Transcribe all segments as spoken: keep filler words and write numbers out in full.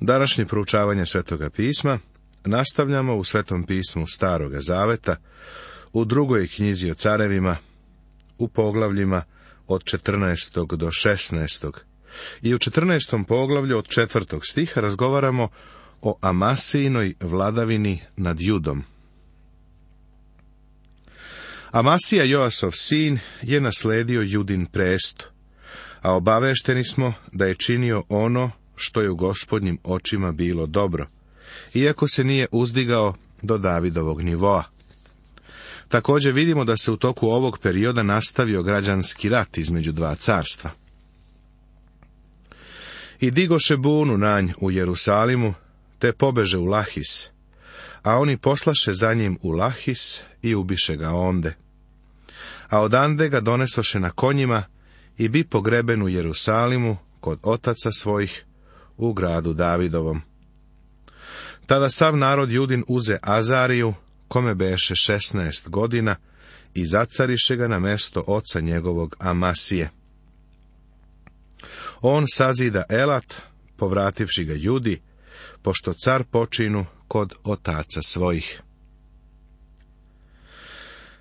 Današnje proučavanje Svetoga pisma nastavljamo u Svetom pismu Staroga zaveta, u drugoj knjizi o carevima, u poglavljima od četrnaestog do šesnaestog. I u četrnaestom poglavlju od četvrtog stiha razgovaramo o Amasijinoj vladavini nad Judom. Amasija, Joasov sin, je nasledio Judin presto, a obavešteni smo da je činio ono što je u Gospodnjim očima bilo dobro, iako se nije uzdigao do Davidovog nivoa. Također vidimo da se u toku ovog perioda nastavio građanski rat između dva carstva. I digoše bunu na nj u Jerusalimu, te pobeže u Lahis, a oni poslaše za njim u Lahis i ubiše ga onde. A odande ga donesoše na konjima i bi pogreben u Jerusalimu kod otaca svojih u gradu Davidovom. Tada sav narod Judin uze Azariju, kome beše šesnaest godina, i zacariše ga na mesto oca njegovog Amasije. On sazida Elat, povrativši ga Judi, pošto car počinu kod otaca svojih.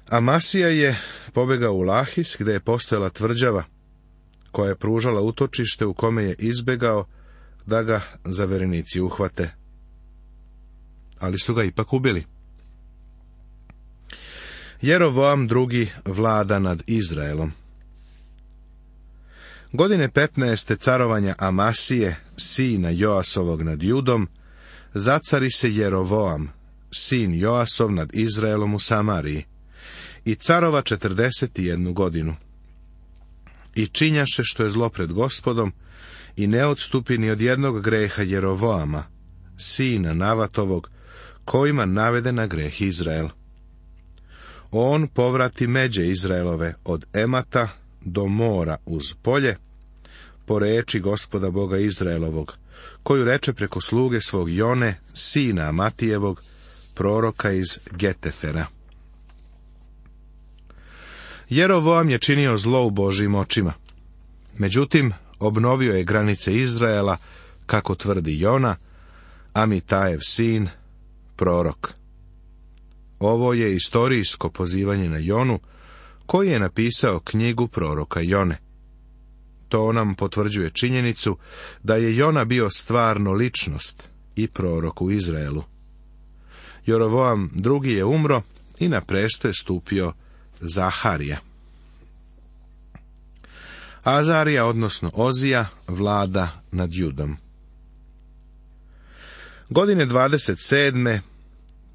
Amasija je pobegao u Lahis, gde je postojala tvrđava, koja je pružala utočište u kome je izbegao da ga zaverenici uhvate. Ali su ga ipak ubili. Jerovoam drugi vlada nad Izraelom. Godine petnaeste carovanja Amasije, sina Joasovog nad Judom, zacari se Jerovoam, sin Joasov nad Izraelom u Samariji, i carova četrdeset i jednu godinu. I činjaše što je zlo pred Gospodom, i ne odstupi ni od jednog greha Jerovoama, sina Navatovog, kojima navede na greh Izrael. On povrati međe Izraelove od Emata do mora uz polje, po reči Gospoda Boga Izraelovog, koju reče preko sluge svog Jone, sina Amatijevog, proroka iz Getefera. Jerovoam je činio zlo u Božjim očima. Međutim, obnovio je granice Izraela, kako tvrdi Jona, Amitajev sin, prorok. Ovo je istorijsko pozivanje na Jonu, koji je napisao knjigu proroka Jone. To nam potvrđuje činjenicu da je Jona bio stvarno ličnost i prorok u Izraelu. Jerovoam drugi je umro i na presto je stupio Zaharija. Azarija, odnosno Ozija, vlada nad Judom. Godine dvadeset sedme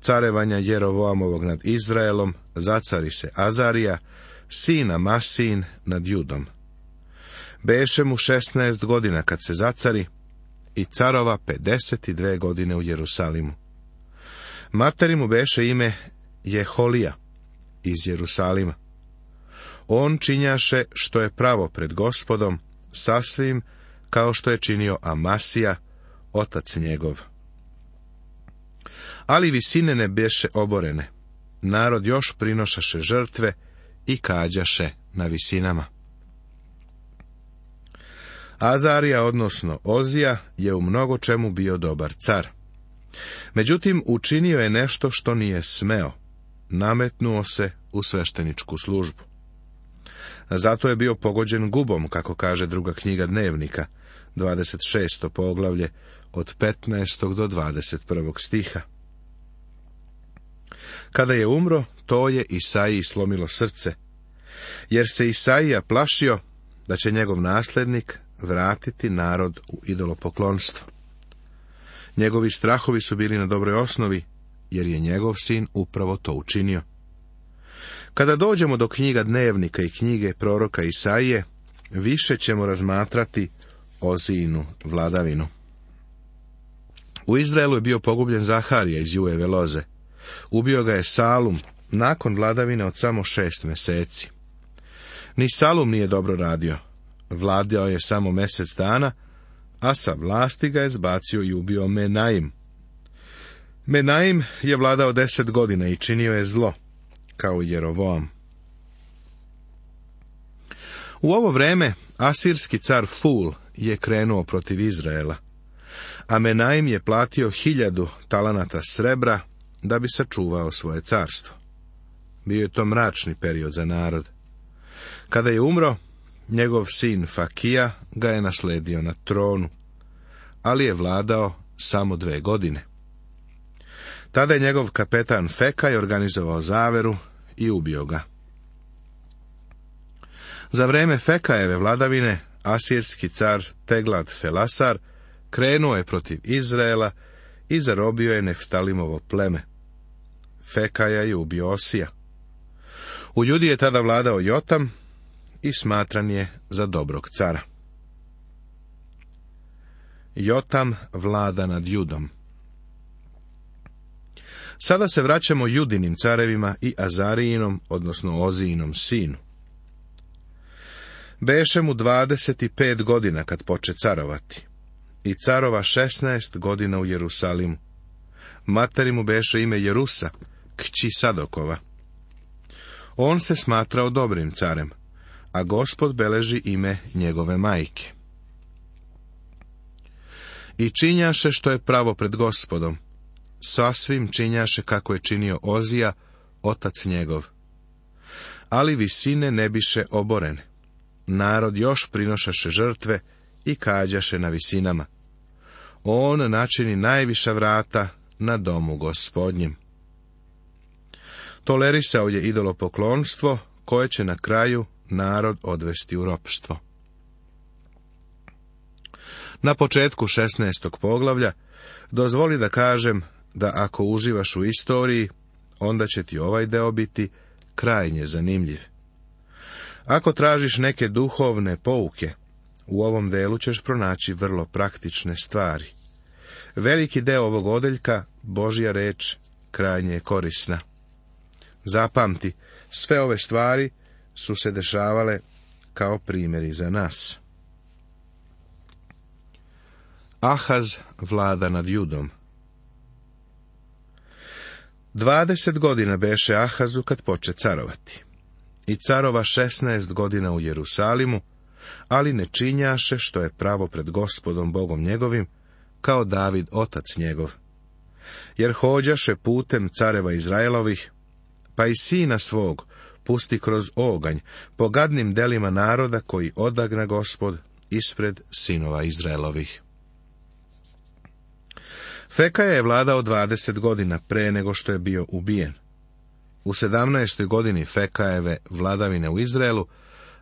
carevanja Jerovoamovog nad Izraelom zacari se Azarija, sin Amasijin, nad Judom. Beše mu šesnaest godina kad se zacari i carova pedeset i dve godine u Jerusalimu. Materi mu beše ime Jeholija iz Jerusalima. On činjaše što je pravo pred Gospodom, sasvim kao što je činio Amasija, otac njegov. Ali visine ne beše oborene, narod još prinošaše žrtve i kađaše na visinama. Azarija, odnosno Ozija, je u mnogo čemu bio dobar car. Međutim, učinio je nešto što nije smeo, nametnuo se u svešteničku službu. Zato je bio pogođen gubom, kako kaže druga knjiga Dnevnika, dvadeset šesto poglavlje, od petnaestog do dvadeset prvog stiha. Kada je umro, to je Isaiji slomilo srce, jer se Isaija plašio da će njegov nasljednik vratiti narod u idolopoklonstvo. Njegovi strahovi su bili na dobroj osnovi, jer je njegov sin upravo to učinio. Kada dođemo do knjiga Dnevnika i knjige proroka Isaije, više ćemo razmatrati Ozijinu vladavinu. U Izraelu je bio pogubljen Zaharija iz Jujeve loze. Ubio ga je Salum, nakon vladavine od samo šest mjeseci. Ni Salum nije dobro radio. Vladao je samo mjesec dana, a sa vlasti ga je zbacio i ubio Menaim. Menaim je vladao deset godina i činio je zlo, kao Jerovoam. U ovo vreme asirski car Ful je krenuo protiv Izraela, Amenaim je platio hiljadu talanata srebra da bi sačuvao svoje carstvo. Bio je to mračni period za narod. Kada je umro, njegov sin Fakija ga je nasledio na tronu, ali je vladao samo dve godine. Tada je njegov kapetan Fekaj organizovao zaveru i ubio ga. Za vreme Fekajeve vladavine, asirski car Teglat Felasar krenuo je protiv Izraela i zarobio je Neftalimovo pleme. Fekaja je ubio Osija. U Judi je tada vladao Jotam i smatran je za dobrog cara. Jotam vlada nad Judom. Sada se vraćamo Judinim carevima i Azarijinom, odnosno Ozijinom sinu. Beše mu dvadeset pet godina kad poče carovati i carova šesnaest godina u Jerusalimu. Materi mu beše ime Jerusa, kći Sadokova. On se smatrao dobrim carem, a Gospod beleži ime njegove majke. I činjaše što je pravo pred Gospodom, sasvim činjaše kako je činio Ozija, otac njegov. Ali visine ne biše oborene. Narod još prinošaše žrtve i kađaše na visinama. On načini najviša vrata na domu Gospodnjem. Tolerisao je idolopoklonstvo, koje će na kraju narod odvesti u ropstvo. Na početku šesnaestog poglavlja dozvoli da kažem da ako uživaš u istoriji, onda će ti ovaj deo biti krajnje zanimljiv. Ako tražiš neke duhovne pouke, u ovom delu ćeš pronaći vrlo praktične stvari. Veliki deo ovog odeljka, Božja reč, krajnje je korisna. Zapamti, sve ove stvari su se dešavale kao primjeri za nas. Ahaz vlada nad Judom. Dvadeset godina beše Ahazu kad poče carovati. I carova šesnaest godina u Jerusalimu, ali ne činjaše što je pravo pred Gospodom Bogom njegovim, kao David otac njegov. Jer hođaše putem careva Izraelovih, pa i sina svog pusti kroz oganj, po gadnim delima naroda koji odagna Gospod ispred sinova Izraelovih. Fekaja je vladao dvadeset godina pre nego što je bio ubijen. U sedamnaestoj godini Fekajeve vladavine u Izraelu,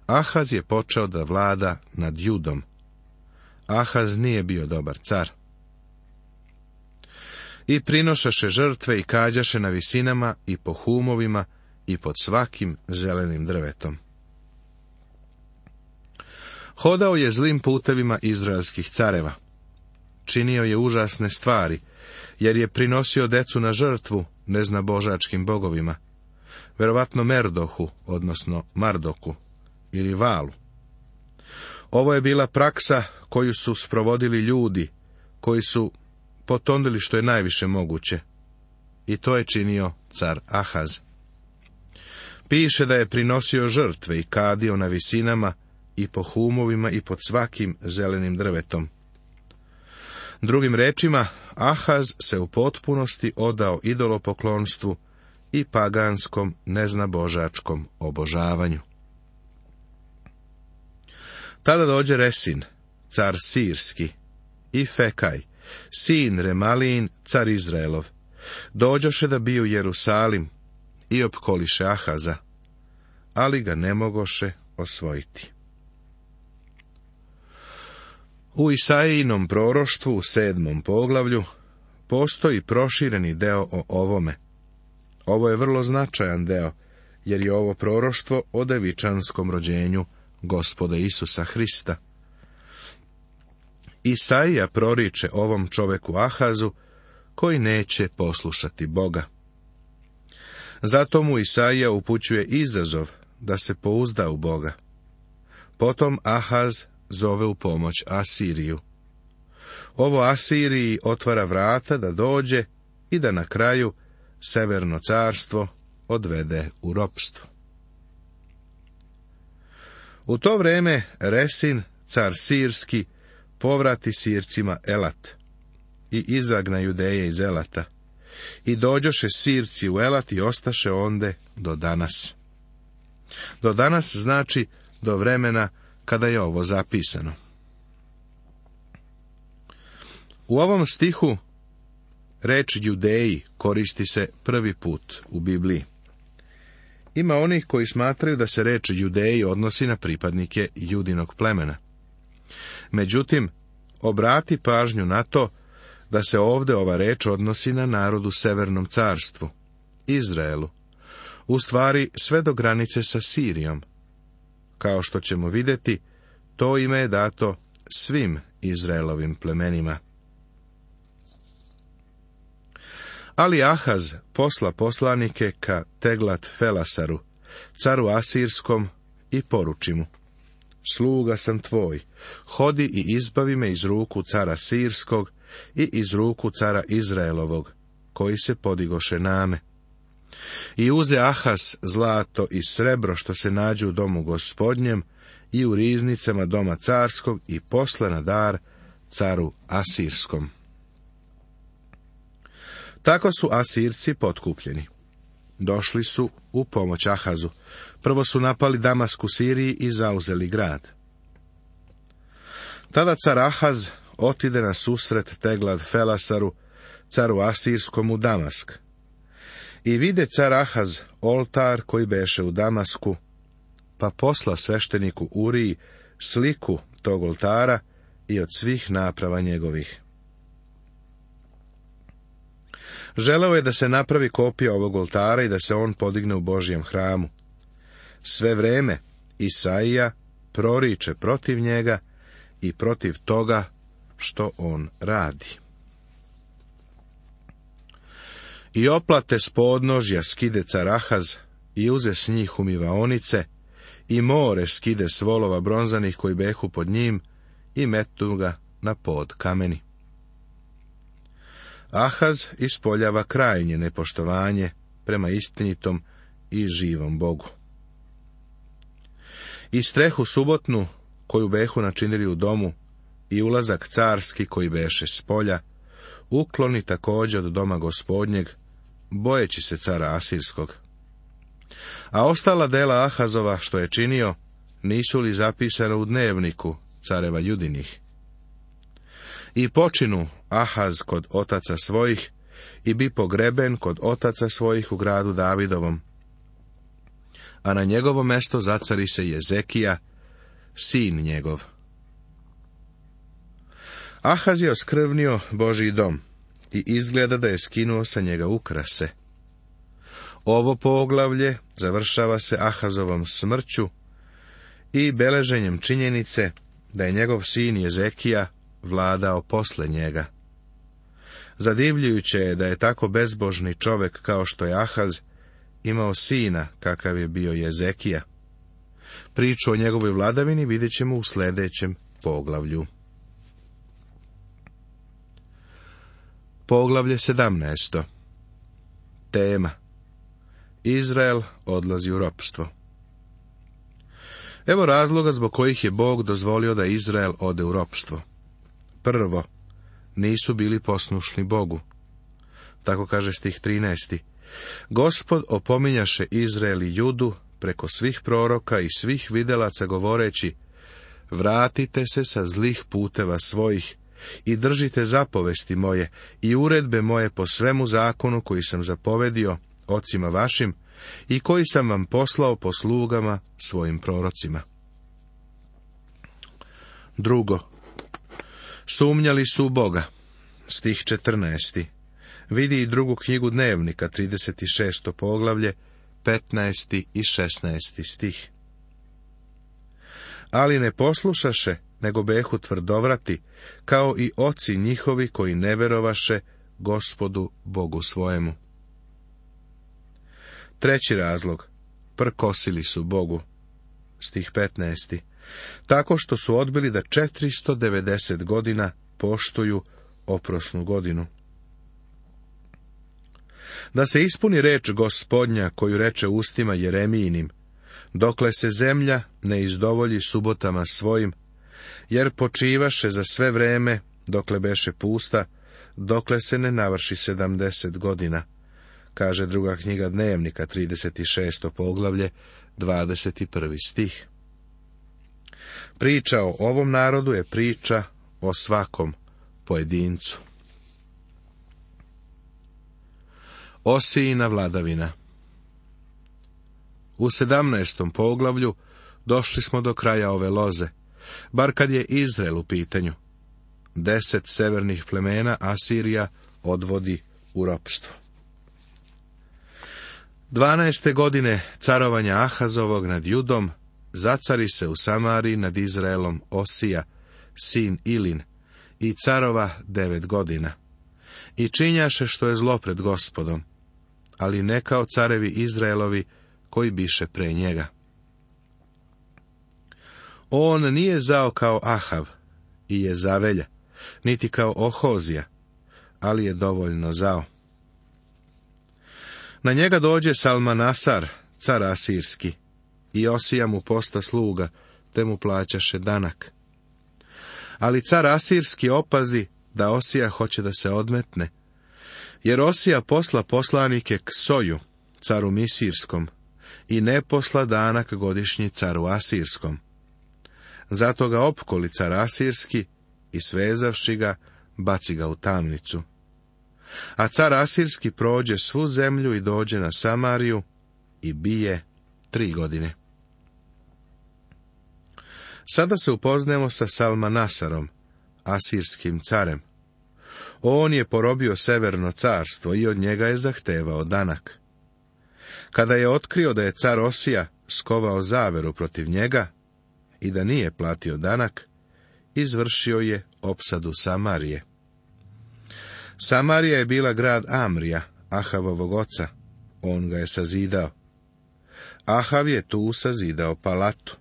Ahaz je počeo da vlada nad Judom. Ahaz nije bio dobar car. I prinošaše žrtve i kađaše na visinama i po humovima i pod svakim zelenim drvetom. Hodao je zlim putevima izraelskih careva. Činio je užasne stvari, jer je prinosio decu na žrtvu neznabožačkim bogovima, verovatno Merdohu, odnosno Mardoku, ili Valu. Ovo je bila praksa koju su sprovodili ljudi, koji su potonili što je najviše moguće, i to je činio car Ahaz. Piše da je prinosio žrtve i kadio na visinama i po humovima i pod svakim zelenim drvetom. Drugim rečima, Ahaz se u potpunosti odao idolopoklonstvu i paganskom neznabožačkom obožavanju. Tada dođe Resin, car Sirski, i Fekaj, sin Remalin, car Izraelov, dođoše da biju Jerusalim i opkoliše Ahaza, ali ga ne mogoše osvojiti. U Isaijinom proroštvu u sedmom poglavlju postoji prošireni deo o ovome. Ovo je vrlo značajan deo, jer je ovo proroštvo o devičanskom rođenju Gospoda Isusa Hrista. Isaija proriče ovom čoveku Ahazu, koji neće poslušati Boga. Zato mu Isaija upućuje izazov da se pouzda u Boga. Potom Ahaz zove u pomoć Asiriju. Ovo Asiriji otvara vrata da dođe i da na kraju severno carstvo odvede u ropstvo. U to vreme Resin, car Sirski, povrati Sircima Elat. i izagna Judeje iz Elata. I dođoše Sirci u Elat i ostaše onde do danas. Do danas znači do vremena kada je ovo zapisano. U ovom stihu reč Judeji koristi se prvi put u Bibliji. Ima onih koji smatraju da se reč Judeji odnosi na pripadnike Judinog plemena. Međutim, obrati pažnju na to da se ovdje ova reč odnosi na narod u Severnom carstvu, Izraelu, u stvari sve do granice sa Sirijom. Kao što ćemo vidjeti, to ime je dato svim Izraelovim plemenima. Ali Ahaz posla poslanike ka Teglat Felasaru, caru Asirskom, i poruči mu: sluga sam tvoj, hodi i izbavi me iz ruku cara Sirskog i iz ruku cara Izraelovog, koji se podigoše name. I uze Ahaz zlato i srebro što se nađu u domu gospodnjem i u riznicama doma carskog i posla na dar caru Asirskom. Tako su Asirci potkupljeni. Došli su u pomoć Ahazu. Prvo su napali Damask u Siriji i zauzeli grad. Tada car Ahaz otide na susret Teglat Felasaru, caru Asirskom, u Damask. I vide car Ahaz oltar koji beše u Damasku, pa posla svešteniku Uriji sliku tog oltara i od svih naprava njegovih. Želeo je da se napravi kopija ovog oltara i da se on podigne u Božjem hramu. Sve vreme Isaija proriče protiv njega i protiv toga što on radi. I oplate s podnožja skide car Ahaz i uze s njih umivaonice i more skide s volova bronzanih koji behu pod njim i metu ga na pod kameni. Ahaz ispoljava krajnje nepoštovanje prema istinitom i živom Bogu. I strehu subotnu koju behu načinili u domu i ulazak carski koji beše s polja ukloni također od doma gospodnjeg, bojeći se cara Asirskog. A ostala dela Ahazova što je činio, nisu li zapisana u dnevniku careva Judinih? I počinu Ahaz kod otaca svojih i bi pogreben kod otaca svojih u gradu Davidovom. A na njegovo mesto zacari se Jezekija, sin njegov. Ahaz je oskrvnio Božji dom i izgleda da je skinuo sa njega ukrase. Ovo poglavlje završava se Ahazovom smrću i beleženjem činjenice da je njegov sin Jezekija vladao posle njega. Zadivljujuće je da je tako bezbožni čovjek kao što je Ahaz imao sina kakav je bio Jezekija. Priču o njegovoj vladavini vidjet ćemo u sljedećem poglavlju. Poglavlje sedamnaest. Tema: Izrael odlazi u ropstvo. Evo razloga zbog kojih je Bog dozvolio da Izrael ode u ropstvo. Prvo, nisu bili poslušni Bogu. Tako kaže stih trinaesti. Gospod opominjaše Izrael i Judu preko svih proroka i svih videlaca govoreći: vratite se sa zlih puteva svojih i držite zapovesti moje i uredbe moje po svemu zakonu koji sam zapovedio ocima vašim i koji sam vam poslao po slugama svojim prorocima. Drugo, sumnjali su u Boga. Stih četrnaesti. Vidi i drugu knjigu Dnevnika, trideset šesto poglavlje, petnaesti i šesnaesti stih. Ali ne poslušaše, nego behu tvrdovrati, kao i oci njihovi koji ne verovaše Gospodu Bogu svojemu. Treći razlog, prkosili su Bogu. Stih petnaesti. Tako što su odbili da četiristo devedeset godina poštuju oprosnu godinu. Da se ispuni reč Gospodnja koju reče ustima Jeremijinim: dokle se zemlja ne izdovolji subotama svojim, jer počivaše za sve vreme, dokle beše pusta, dokle se ne navrši sedamdeset godina, kaže druga knjiga Dnevnika, trideset šesto poglavlje, dvadeset prvi stih. Priča o ovom narodu je priča o svakom pojedincu. Osijina vladavina. U sedamnaestom poglavlju došli smo do kraja ove loze, bar kad je Izrael u pitanju. Deset severnih plemena Asirija odvodi u ropstvo. Dvanaeste godine carovanja Ahazovog nad Judom zacari se u Samariji nad Izraelom Osija, sin Ilin, i carova devet godina. I činjaše što je zlo pred Gospodom, ali ne kao carevi Izraelovi koji biše pre njega. On nije zao kao Ahav i je zavelja, niti kao Ohozija, ali je dovoljno zao. Na njega dođe Salmanasar, car asirski, i Osija mu posta sluga, te mu plaćaše danak. Ali car asirski opazi da Osija hoće da se odmetne, jer Osija posla poslanike k Soju, caru Misirskom, i ne posla danak godišnji caru Asirskom. Zato ga opkoli car Asirski i svezavši ga, baci ga u tamnicu. A car Asirski prođe svu zemlju i dođe na Samariju i bije tri godine. Sada se upoznajemo sa Salmanasarom, asirskim carem. On je porobio severno carstvo i od njega je zahtevao danak. Kada je otkrio da je car Osija skovao zaveru protiv njega i da nije platio danak, izvršio je opsadu Samarije. Samarija je bila grad Amrija, Ahavovog oca. On ga je sazidao. Ahav je tu sazidao palatu.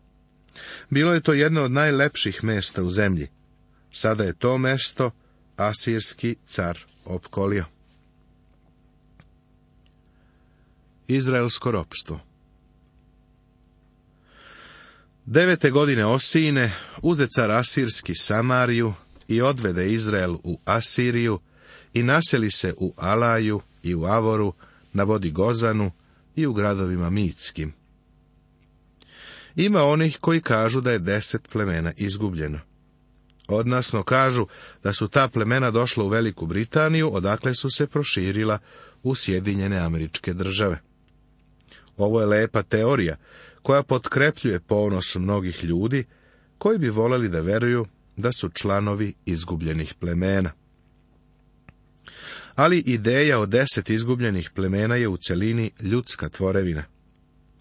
Bilo je to jedno od najlepših mesta u zemlji. Sada je to mesto asirski car opkolio. Izraelsko ropstvo. Devete godine Osijine uze car asirski Samariju i odvede Izrael u Asiriju i naseli se u Alaju i u Avoru, na vodi Gozanu i u gradovima Mitskim. Ima onih koji kažu da je deset plemena izgubljeno. Odnosno kažu da su ta plemena došla u Veliku Britaniju, odakle su se proširila u Sjedinjene Američke Države. Ovo je lepa teorija, koja potkrepljuje ponos mnogih ljudi, koji bi voleli da veruju da su članovi izgubljenih plemena. Ali ideja o deset izgubljenih plemena je u celini ljudska tvorevina.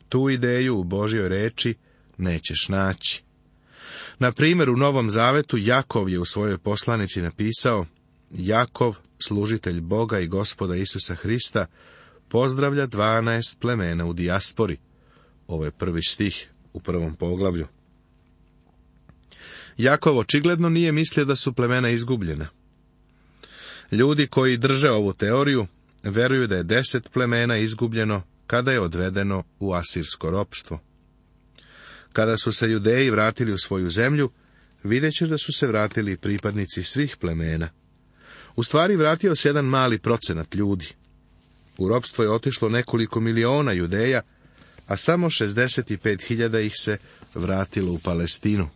Tu ideju u Božjoj reči nećeš naći. Na primjer, u Novom Zavetu Jakov je u svojoj poslanici napisao: Jakov, služitelj Boga i Gospoda Isusa Hrista, pozdravlja dvanaest plemena u dijaspori. Ovo je prvi stih u prvom poglavlju. Jakov očigledno nije mislio da su plemena izgubljena. Ljudi koji drže ovu teoriju veruju da je deset plemena izgubljeno kada je odvedeno u asirsko ropstvo. Kada su se Judeji vratili u svoju zemlju, vidjet ćeš da su se vratili pripadnici svih plemena. U stvari vratio se jedan mali procenat ljudi. U ropstvo je otišlo nekoliko miliona Judeja, a samo šezdeset pet hiljada ih se vratilo u Palestinu.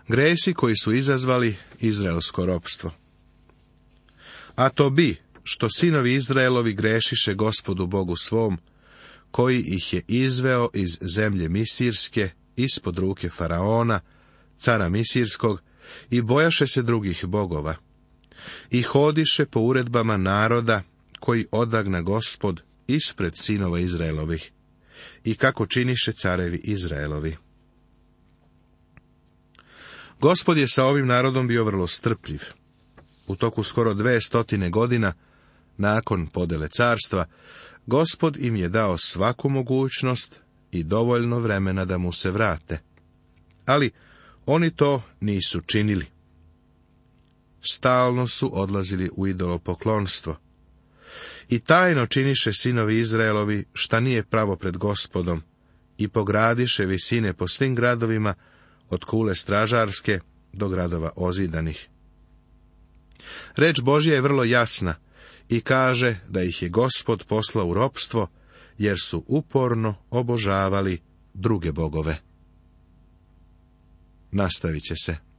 Gresi koji su izazvali izraelsko ropstvo. A to bi, što sinovi Izraelovi grešiše Gospodu Bogu svom, koji ih je izveo iz zemlje Misirske, ispod ruke Faraona, cara Misirskog, i bojaše se drugih bogova. I hodiše po uredbama naroda, koji odagna Gospod ispred sinova Izraelovih, i kako činiše carevi Izraelovi. Gospod je sa ovim narodom bio vrlo strpljiv. U toku skoro dve stotine godina, nakon podele carstva, Gospod im je dao svaku mogućnost i dovoljno vremena da mu se vrate. Ali oni to nisu činili. Stalno su odlazili u idolopoklonstvo. I tajno činiše sinovi Izraelovi šta nije pravo pred Gospodom i pogradiše visine po svim gradovima, od kule stražarske do gradova ozidanih. Reč Božja je vrlo jasna i kaže da ih je Gospod poslao u ropstvo, jer su uporno obožavali druge bogove. Nastavit će se.